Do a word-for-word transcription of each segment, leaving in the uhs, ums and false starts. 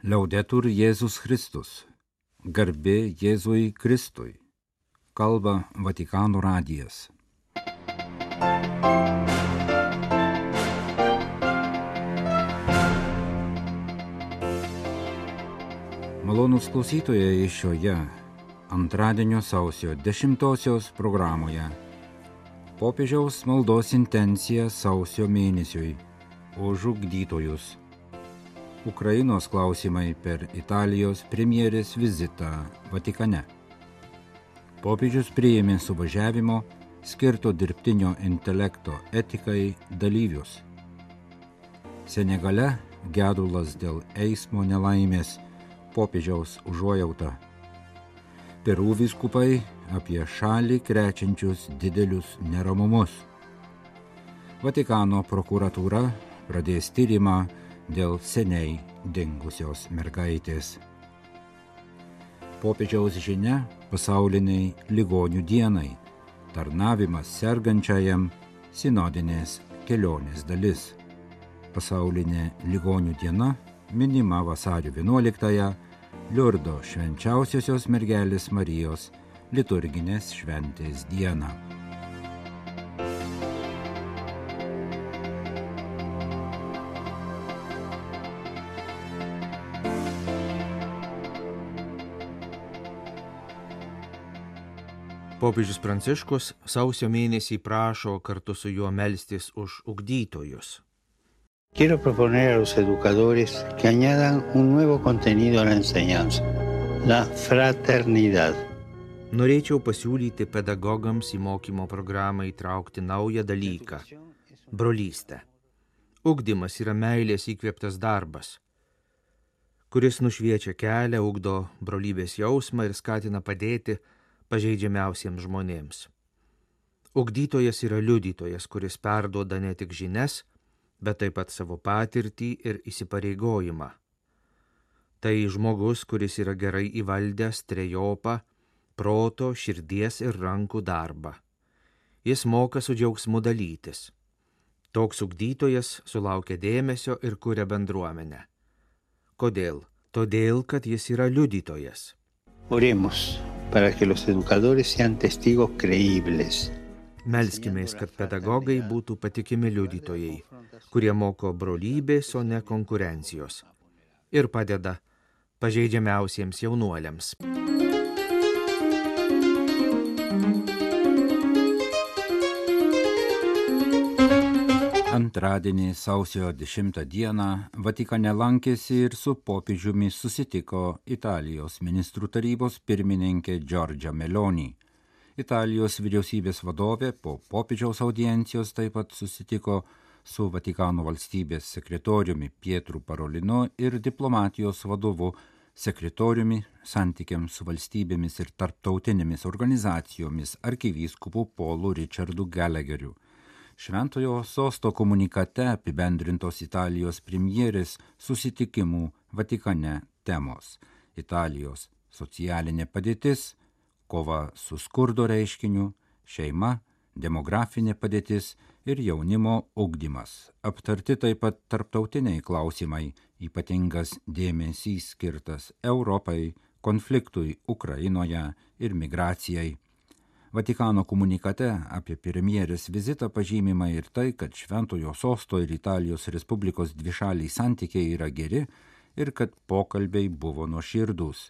Liaudetur Jėzus Kristus. Garbė Jėzui Kristui. Kalba Vatikano radijas. Malonūs klausytojai, šioje antradienio sausio dešimtosios programoje popiežiaus maldos intencija sausio mėnesiui už ugdytojus. Ukrainos klausimai per Italijos premjerės vizitą Vatikane. Popiežius priėmė suvažiavimo skirto dirbtinio intelekto etikai dalyvius. Senegale gedulas dėl eismo nelaimės, popiežiaus užuojauta. Perų vyskupai apie šalį krečiančius didelius neramumus. Vatikano prokuratūra pradės tyrimą dėl seniai dingusios mergaitės. Popiežiaus žinia pasauliniai ligonių dienai, tarnavimas sergančiajam, sinodinės kelionės dalis. Pasaulinė ligonių diena minima vasario vienuoliktąją, Liurdo švenčiausiosios mergelės Marijos liturginės šventės dieną. Popiežius Pranciškus sausio mėnesį prašo kartu su juo melstis už ugdytojus. Quiero proponer a los educadores que añadan un nuevo contenido a la enseñanza, la fraternidad. Norėčiau pasiūlyti pedagogams į mokymo programą įtraukti naują dalyką – brolystę. Ugdymas yra meilės įkvėptas darbas, kuris nušviečia kelią, ugdo brolybės jausmą ir skatina padėti pažeidžiamiausiems žmonėms. Ugdytojas yra liudytojas, kuris perduoda ne tik žinias, bet taip pat savo patirtį ir įsipareigojimą. Tai žmogus, kuris yra gerai įvaldęs trejopą proto, širdies ir rankų darbą. Jis moka su džiaugsmu dalytis. Toks ugdytojas sulaukia dėmesio ir kuria bendruomenę. Kodėl? Todėl, kad jis yra liudytojas. Oremos para que los educadores sean testigos creíbles. Melskimės, kad pedagogai būtų patikimi liudytojai, kurie moko brolybės, o ne konkurencijos ir padeda pažeidžiamiausiems jaunuoliams. Antradienį sausio dešimtą dieną Vatikane lankėsi ir su popiežiumi susitiko Italijos ministrų tarybos pirmininkė Giorgia Meloni. Italijos vyriausybės vadovė po popiežiaus audiencijos taip pat susitiko su Vatikano valstybės sekretoriumi Pietru Parolinu ir diplomatijos vadovu sekretoriumi santykiams su valstybėmis ir tarptautinėmis organizacijomis arkivyskupu Paulu Richardu Gallagheriu. Šventojo sosto komunikate apibendrintos Italijos premjerės susitikimų Vatikane temos: Italijos socialinė padėtis, kova su skurdo reiškiniu, šeima, demografinė padėtis ir jaunimo ugdymas. Aptarti taip pat tarptautiniai klausimai, ypatingas dėmesys skirtas Europai, konfliktui Ukrainoje ir migracijai. Vatikano komunikate apie premjerės vizitą pažymima ir tai, kad Šventojo sosto ir Italijos Respublikos dvišaliai santykiai yra geri ir kad pokalbiai buvo nuoširdūs.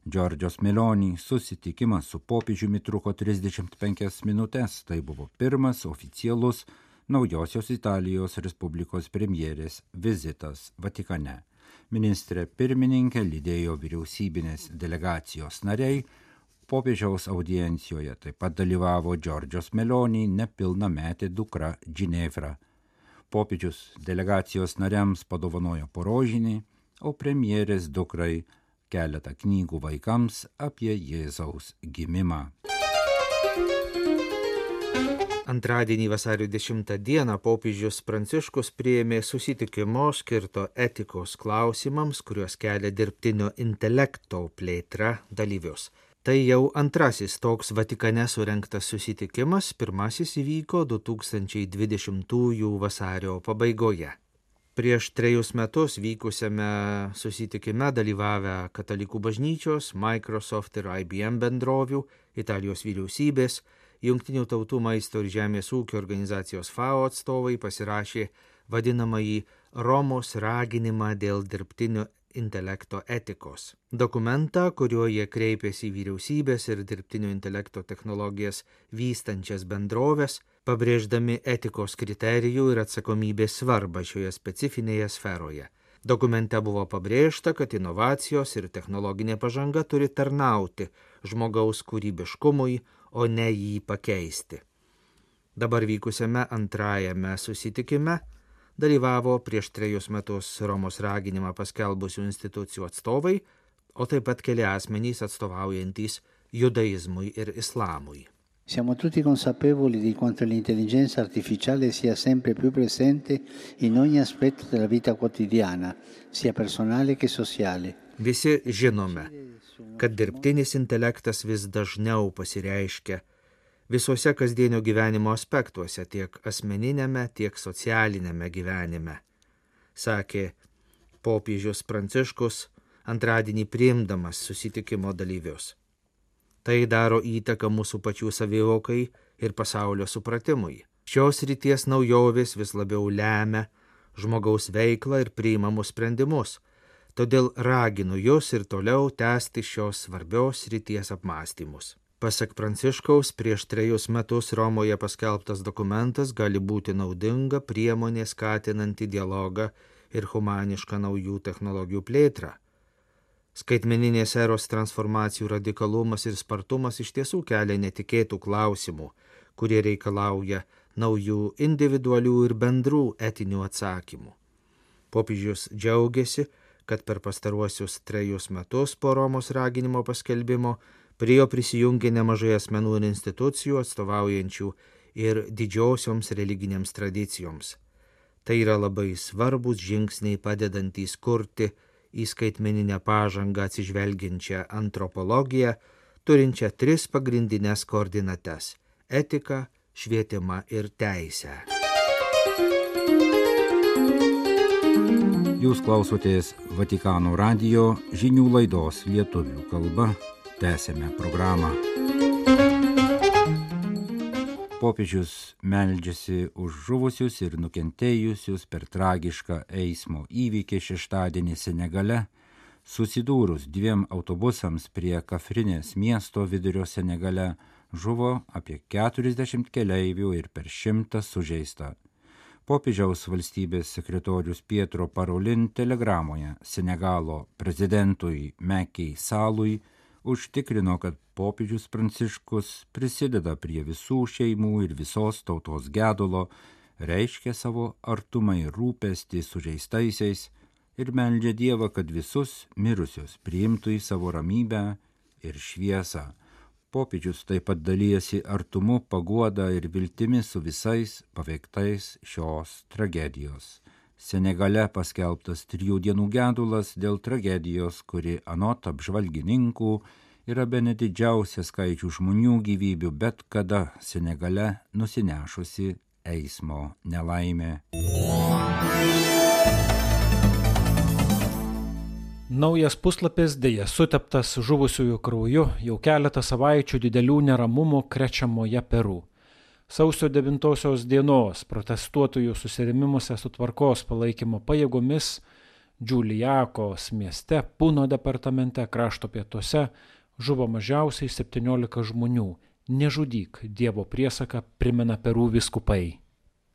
Giorgios Meloni susitikimas su popiežiumi truko trisdešimt penkias minutes, tai buvo pirmas oficialus naujosios Italijos Respublikos premjerės vizitas Vatikane. Ministrė pirmininkė lydėjo vyriausybinės delegacijos nariai. Popiežiaus audiencijoje taip pat dalyvavo Giorgios Meloni nepilnametė dukra Ginevra. Popiežius delegacijos nariams padovanojo po rožinį, o premjerės dukrai keletą knygų vaikams apie Jėzaus gimimą. Antradienį vasario dešimtą dieną popiežius Pranciškus priėmė susitikimo skirto etikos klausimams, kuriuos kelia dirbtinio intelekto plėtra dalyvius. Tai jau antrasis toks Vatikane surengtas susitikimas, pirmasis įvyko du tūkstančiai dvidešimtųjų vasario pabaigoje. Prieš trejus metus vykusiame susitikime dalyvavę Katalikų bažnyčios, Microsoft ir I B M bendrovių, Italijos vyriausybės, Jungtinių tautų maisto ir žemės ūkio organizacijos F A O atstovai pasirašė vadinamąjį Romos raginimą dėl dirbtinio intelekto etikos. Dokumentą, kuriuo jie kreipėsi į vyriausybės ir dirbtinio intelekto technologijas vystančias bendroves, pabrėždami etikos kriterijų ir atsakomybės svarbą šioje specifinėje sferoje. Dokumente buvo pabrėžta, kad inovacijos ir technologinė pažanga turi tarnauti žmogaus kūrybiškumui, o ne jį pakeisti. Dabar vykusiame antrajame susitikime dalyvavo prieš trejus metus Romos raginimą paskelbusių institucijų atstovai, o taip pat keli asmenys atstovaujantys judaizmui ir islamui. Siamo tutti consapevoli di quanto l'intelligenza artificiale sia sempre più presente in ogni aspetto della vita quotidiana, sia personale che sociale. Visi žinome, kad dirbtinis intelektas vis dažniau pasireiškia visuose kasdienio gyvenimo aspektuose, tiek asmeninėme, tiek socialinėme gyvenime, sakė popiežius Pranciškus antradienį priimdamas susitikimo dalyvius. Tai daro įtaką mūsų pačių savivokai ir pasaulio supratimui. Šios ryties naujovės vis labiau lemia žmogaus veiklą ir priimamus sprendimus, todėl raginu jūs ir toliau tęsti šios svarbios ryties apmąstymus. Pasak Pranciškaus, prieš trejus metus Romoje paskelbtas dokumentas gali būti naudinga priemonė skatinanti dialogą ir humanišką naujų technologijų plėtrą. Skaitmeninės eros transformacijų radikalumas ir spartumas iš tiesų kelia netikėtų klausimų, kurie reikalauja naujų individualių ir bendrų etinių atsakymų. Popiežius džiaugiasi, kad per pastaruosius trejus metus po Romos raginimo paskelbimo prie jo prisijungė nemažai asmenų ir institucijų atstovaujančių ir didžiosioms religinėms tradicijoms. Tai yra labai svarbus žingsniai padedantys kurti į skaitmeninę pažangą atsižvelgiančią antropologiją, turinčią tris pagrindinės koordinates – etiką, švietimą ir teisę. Jūs klausotės Vatikano radijo žinių laidos lietuvių kalba. Tęsėme programą. Popiežius meldžiasi už žuvusius ir nukentėjusius per tragišką eismo įvykį šeštadienį Senegale, susidūrus dviem autobusams prie Kafrinės miesto vidurio Senegale, žuvo apie keturiasdešimt keleivių ir per šimtą sužeista. Popiežiaus valstybės sekretorius Pietro Parolin telegramoje Senegalo prezidentui Macky Sallui užtikrino, kad popiežius Pranciškus prisideda prie visų šeimų ir visos tautos gedulo, reiškia savo artumą ir rūpestį sužeistaisiais ir meldžia Dievą, kad visus mirusius priimtų į savo ramybę ir šviesą. Popiežius taip pat dalyjasi artumu, paguoda ir viltimi su visais paveiktais šios tragedijos. Senegale paskelbtas trijų dienų gedulas dėl tragedijos, kuri anot apžvalgininkų yra bene didžiausia skaičių žmonių gyvybių bet kada Senegale nusinešusi eismo nelaimė. Naujas puslapis dėja suteptas žuvusiųjų krauju jau keletą savaičių didelių neramumų krečiamoje Peru. Sausio devintosios dienos protestuotojų susirėmimuose su tvarkos palaikymo pajėgomis Džiulijakos mieste Puno departamente krašto pietuose žuvo mažiausiai septyniolika žmonių. Nežudyk, Dievo priesaką primena Peru vyskupai.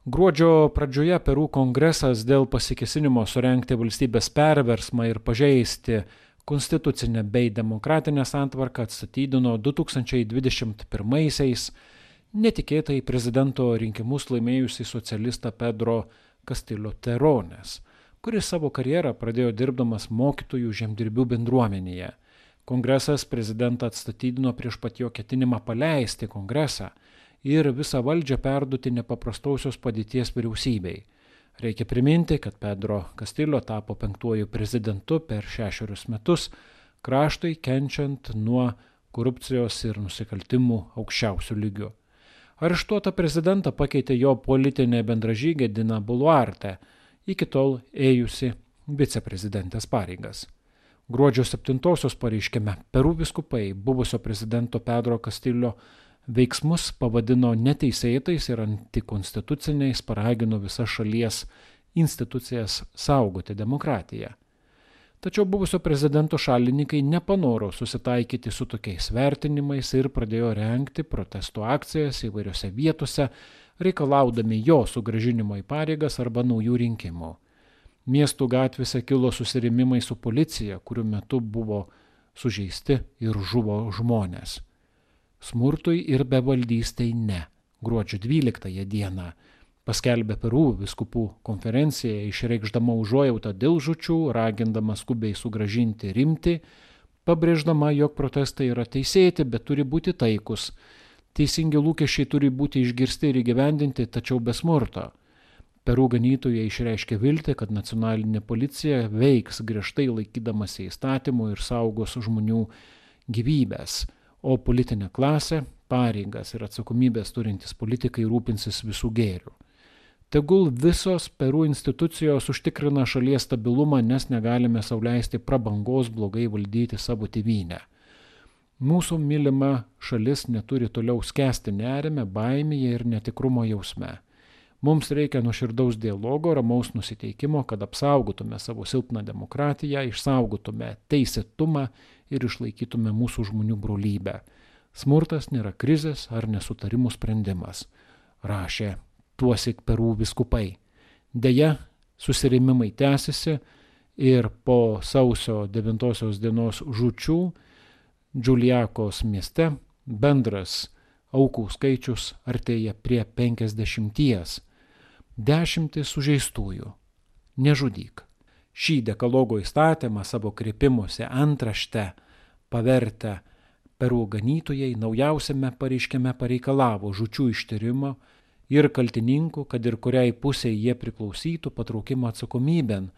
Gruodžio pradžioje Peru kongresas dėl pasikėsinimo surengti valstybės perversmą ir pažeisti konstitucinę bei demokratinę santvarką atstatydino du tūkstančiai dvidešimt pirmaisiais netikėtai prezidento rinkimus laimėjusį socialistą Pedro Castillo Terrones, kuris savo karjerą pradėjo dirbdamas mokytojų žemdirbių bendruomenėje. Kongresas prezidentą atstatydino prieš pat jo ketinimą paleisti kongresą ir visą valdžią perduoti nepaprastosios padėties vyriausybei. Reikia priminti, kad Pedro Castillo tapo penktuoju prezidentu per šešerius metus, kraštui kenčiant nuo korupcijos ir nusikaltimų aukščiausių lygių. Areštuotą prezidentą pakeitė jo politinė bendražygė Dina Boluarte. iki tol ėjusi viceprezidentės pareigas. Gruodžio septintosios pareiškime Peru vyskupai buvusio prezidento Pedro Castillo veiksmus pavadino neteisėtais ir antikonstituciniais, paragino visas šalies institucijas saugoti demokratiją. Tačiau buvusio prezidento šalininkai nepanoro susitaikyti su tokiais vertinimais ir pradėjo rengti protesto akcijas įvairiose vietose, reikalaudami jo sugrąžinimo į pareigas arba naujų rinkimų. Miestų gatvėse kilo susirėmimai su policija, kurių metu buvo sužeisti ir žuvo žmonės. Smurtui ir bevaldystei ne. Gruodžio dvyliktąją dieną paskelbė Peru vyskupų konferencija, išreikšdama užuojautą dėl žūčių, ragindama skubiai sugrąžinti rimtį, pabrėždama, jog protestai yra teisėti, bet turi būti taikus. Teisingi lūkesčiai turi būti išgirsti ir įgyvendinti, tačiau be smurto. Peru ganytojai išreiškė viltį, kad nacionalinė policija veiks griežtai laikydamasi įstatymų ir saugos žmonių gyvybės, o politinė klasė, pareigas ir atsakomybės turintys politikai rūpinsis visų gėrių. Tegul visos Peru institucijos užtikrina šalies stabilumą, nes negalime sau leisti prabangos blogai valdyti savo tėvynę. Mūsų mylima šalis neturi toliau skęsti nerime, baimėje ir netikrumo jausme. Mums reikia nuoširdaus dialogo, ramaus nusiteikimo, kad apsaugotume savo silpną demokratiją, išsaugotume teisėtumą ir išlaikytume mūsų žmonių brolybę. Smurtas nėra krizės ar nesutarimų sprendimas, rašė tuosik Peru vyskupai. Deja, susirėmimai tęsiasi ir po sausio devintosios dienos žūčių Džiuliakos mieste bendras aukų skaičius artėja prie penkiasdešimties. Dešimtis sužeistųjų. Nežudyk. Šį dekalogo įstatymą savo kreipimuose antrašte pavertę Peru ganytojai naujausiame pareiškime pareikalavo žūčių ištyrimo ir kaltininkų, kad ir kuriai pusei jie priklausytų, patraukimo atsakomybėn.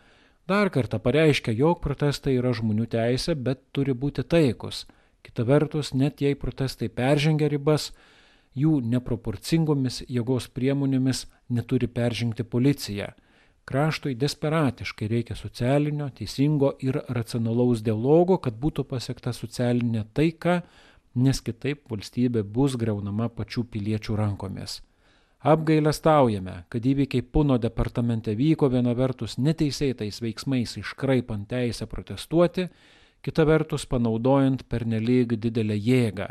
Dar kartą pareiškia, jog protestai yra žmonių teisė, bet turi būti taikus. Kita vertus, net jei protestai peržengia ribas, jų neproporcingomis jėgos priemonėmis neturi peržengti policija. Kraštui desperatiškai reikia socialinio, teisingo ir racionalaus dialogo, kad būtų pasiekta socialinė taika, nes kitaip valstybė bus griaunama pačių piliečių rankomis. Apgailestaujame, kad įvykiai Puno departamente vyko viena vertus neteisėtais veiksmais iškraipant teisę protestuoti, kita vertus panaudojant pernelyg didelę jėgą.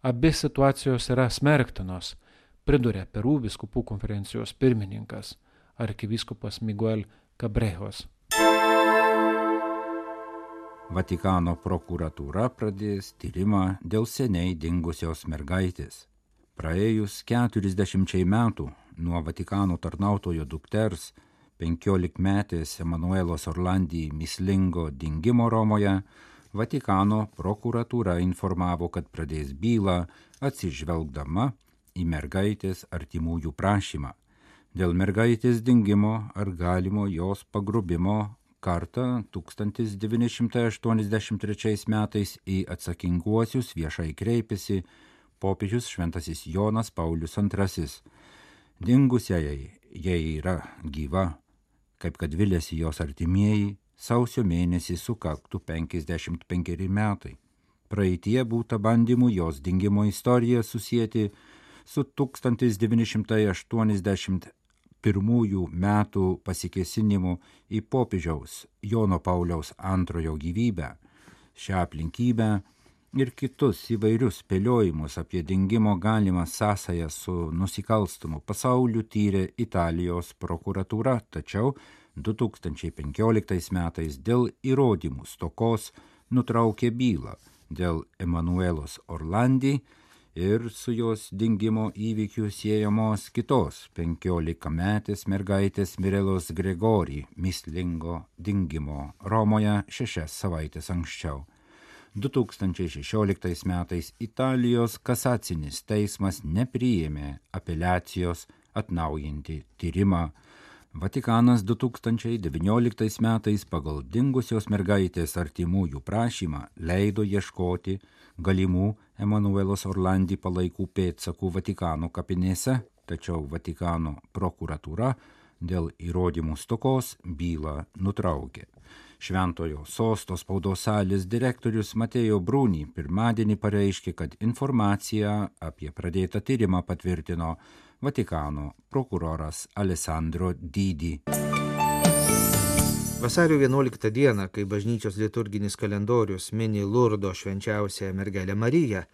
Abi situacijos yra smerktinos, pridūrė Peru vyskupų konferencijos pirmininkas, arkivyskupas Miguel Cabrejos. Vatikano prokuratūra pradės tyrimą dėl seniai dingusios mergaitės. Praėjus keturiasdešimčiai metų nuo Vatikano tarnautojo dukters, penkiolikmetės Emanuelos Orlandi mįslingo dingimo Romoje, Vatikano prokuratūra informavo, kad pradės bylą atsižvelgdama į mergaitės artimųjų prašymą. Dėl mergaitės dingimo ar galimo jos pagrobimo kartą tūkstantis devyni šimtai aštuoniasdešimt trečiais metais į atsakinguosius viešai kreipėsi popiežius šventasis Jonas Paulius antrasis. Dingusiai jai yra gyva, kaip kad viliasi jos artimieji, sausio mėnesį sukaktų penkiasdešimt penkeri metai. Praeitie būta bandymų jos dingimo istoriją susijęti su tūkstantis devyni šimtai aštuoniasdešimt pirmųjų metų pasikėsinimu į popiežiaus Jono Pauliaus antrojo gyvybę. Šią aplinkybę ir kitus įvairius spėliojimus apie dingimo galimą sąsają su nusikalstamu pasauliu tyrė Italijos prokuratūra, tačiau du tūkstančiai penkioliktais metais dėl įrodymų stokos nutraukė bylą dėl Emanuelos Orlandi ir su jos dingimo įvykių siejamos kitos penkiolikametės mergaitės Mirelos Gregori mįslingo dingimo Romoje šešias savaitės anksčiau. du tūkstančiai šešioliktais metais Italijos kasacinis teismas nepriėmė apeliacijos atnaujinti tyrimą. Vatikanas du tūkstančiai devynioliktais metais pagal dingusios mergaitės artimųjų prašymą leido ieškoti galimų Emanuelos Orlandi palaikų pėdsakų Vatikano kapinėse, tačiau Vatikano prokuratūra dėl įrodymų stokos bylą nutraukė. Šventojo sosto spaudos salės direktorius Mateo Bruni pirmadienį pareiškė, kad informaciją apie pradėtą tyrimą patvirtino Vatikano prokuroras Alessandro Didi. Vasario vienuoliktą dieną, kai bažnyčios liturginis kalendorius mini Lurdo švenčiausiąją mergelę Mariją,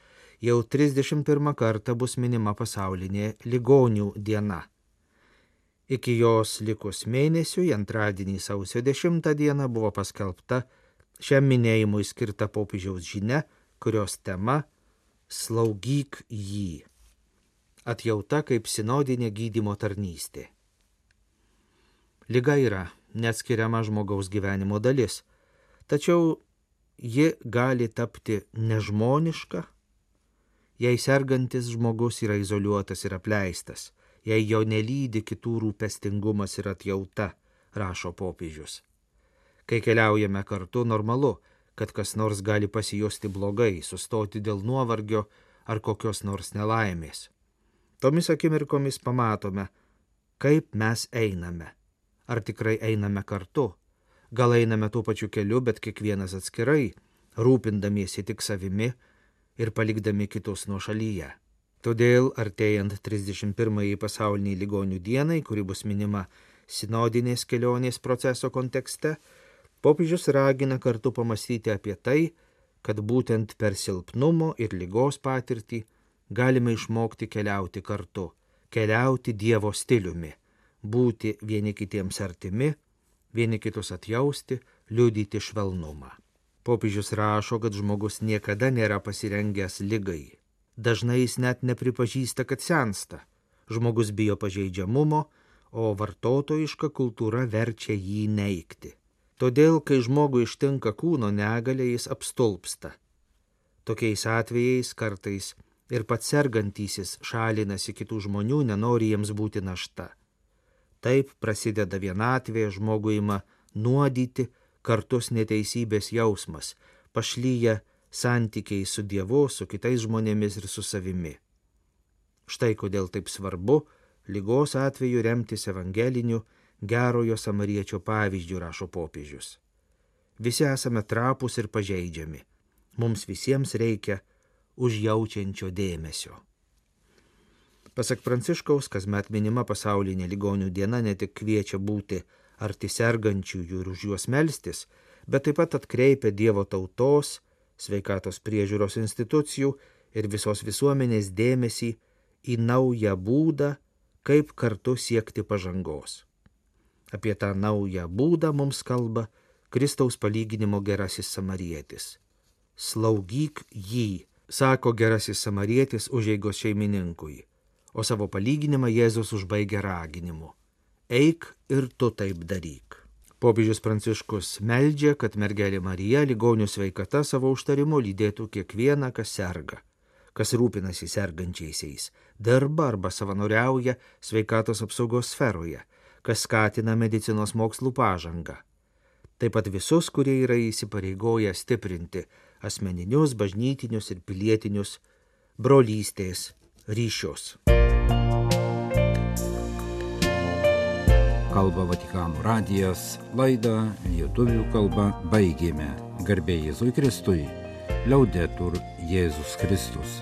jau trisdešimt pirmą kartą bus minima pasaulinė ligonių diena. Iki jos likus mėnesiui, antradienį sausio dešimtą dieną buvo paskelbta šiam minėjimui skirta popiežiaus žinia, kurios tema Slaugyk jį. Atjauta kaip sinodinė gydymo tarnystė. Liga yra neatskiriama žmogaus gyvenimo dalis, tačiau ji gali tapti nežmoniška, jei sergantis žmogus yra izoliuotas ir apleistas, jei jo nelydi kitų rūpestingumas ir atjauta, rašo popiežius. Kai keliaujame kartu, normalu, kad kas nors gali pasijusti blogai, sustoti dėl nuovargio ar kokios nors nelaimės. Tomis akimirkomis pamatome, kaip mes einame. Ar tikrai einame kartu? Gal einame tuo pačiu keliu, bet kiekvienas atskirai, rūpindamiesi tik savimi ir palikdami kitus nuošalyje. Todėl, artėjant trisdešimt pirmąjį pasauliniai ligonių dienai, kuri bus minima sinodinės kelionės proceso kontekste, popiežius ragina kartu pamastyti apie tai, kad būtent per silpnumo ir ligos patirtį galime išmokti keliauti kartu, keliauti Dievo stiliumi, būti vieni kitiems artimi, vieni kitus atjausti, liudyti švelnumą. Popiežius rašo, kad žmogus niekada nėra pasirengęs ligai. Dažnai jis net nepripažįsta, kad sensta. Žmogus bijo pažeidžiamumo, o vartotojiška kultūra verčia jį neigti. Todėl, kai žmogui ištinka kūno negalia, jis apstulpsta. Tokiais atvejais kartais ir pats sergantysis šalinasi kitų žmonių, nenori jiems būti našta. Taip prasideda vienatvė, žmogui ima nuodyti kartus neteisybės jausmas, pašlyja santykiai su Dievu, su kitais žmonėmis ir su savimi. Štai kodėl taip svarbu ligos atveju remtis evangeliniu gerojo samariečio pavyzdžiu, rašo popiežius. Visi esame trapūs ir pažeidžiami. Mums visiems reikia užjaučiančio dėmesio. Pasak Pranciškaus, kasmet minima pasaulinė ligonių diena ne tik kviečia būti arti sergančiųjų ir už juos melstis, bet taip pat atkreipia Dievo tautos, sveikatos priežiūros institucijų ir visos visuomenės dėmesį į naują būdą, kaip kartu siekti pažangos. Apie tą naują būdą mums kalba Kristaus palyginimo gerasis samarietis. Slaugyk jį, sako gerasis samarietis užeigos šeimininkui, o savo palyginimą Jėzus užbaigia raginimu. Eik ir tu taip daryk. Popiežius Pranciškus meldžia, kad mergelė Marija ligonių sveikata savo užtarimu lydėtų kiekvieną, kas serga, kas rūpinasi sergančiaisiais, dirba arba savanoriauja sveikatos apsaugos sferoje, kas skatina medicinos mokslų pažangą. Taip pat visus, kurie yra įsipareigoję stiprinti asmeninius, bažnytinius ir pilietinius brolystės ryšius. Kalba Vatikano radijas, laidą lietuvių kalba baigėme. Garbė Jėzui Kristui, liaudetur Jėzus Kristus.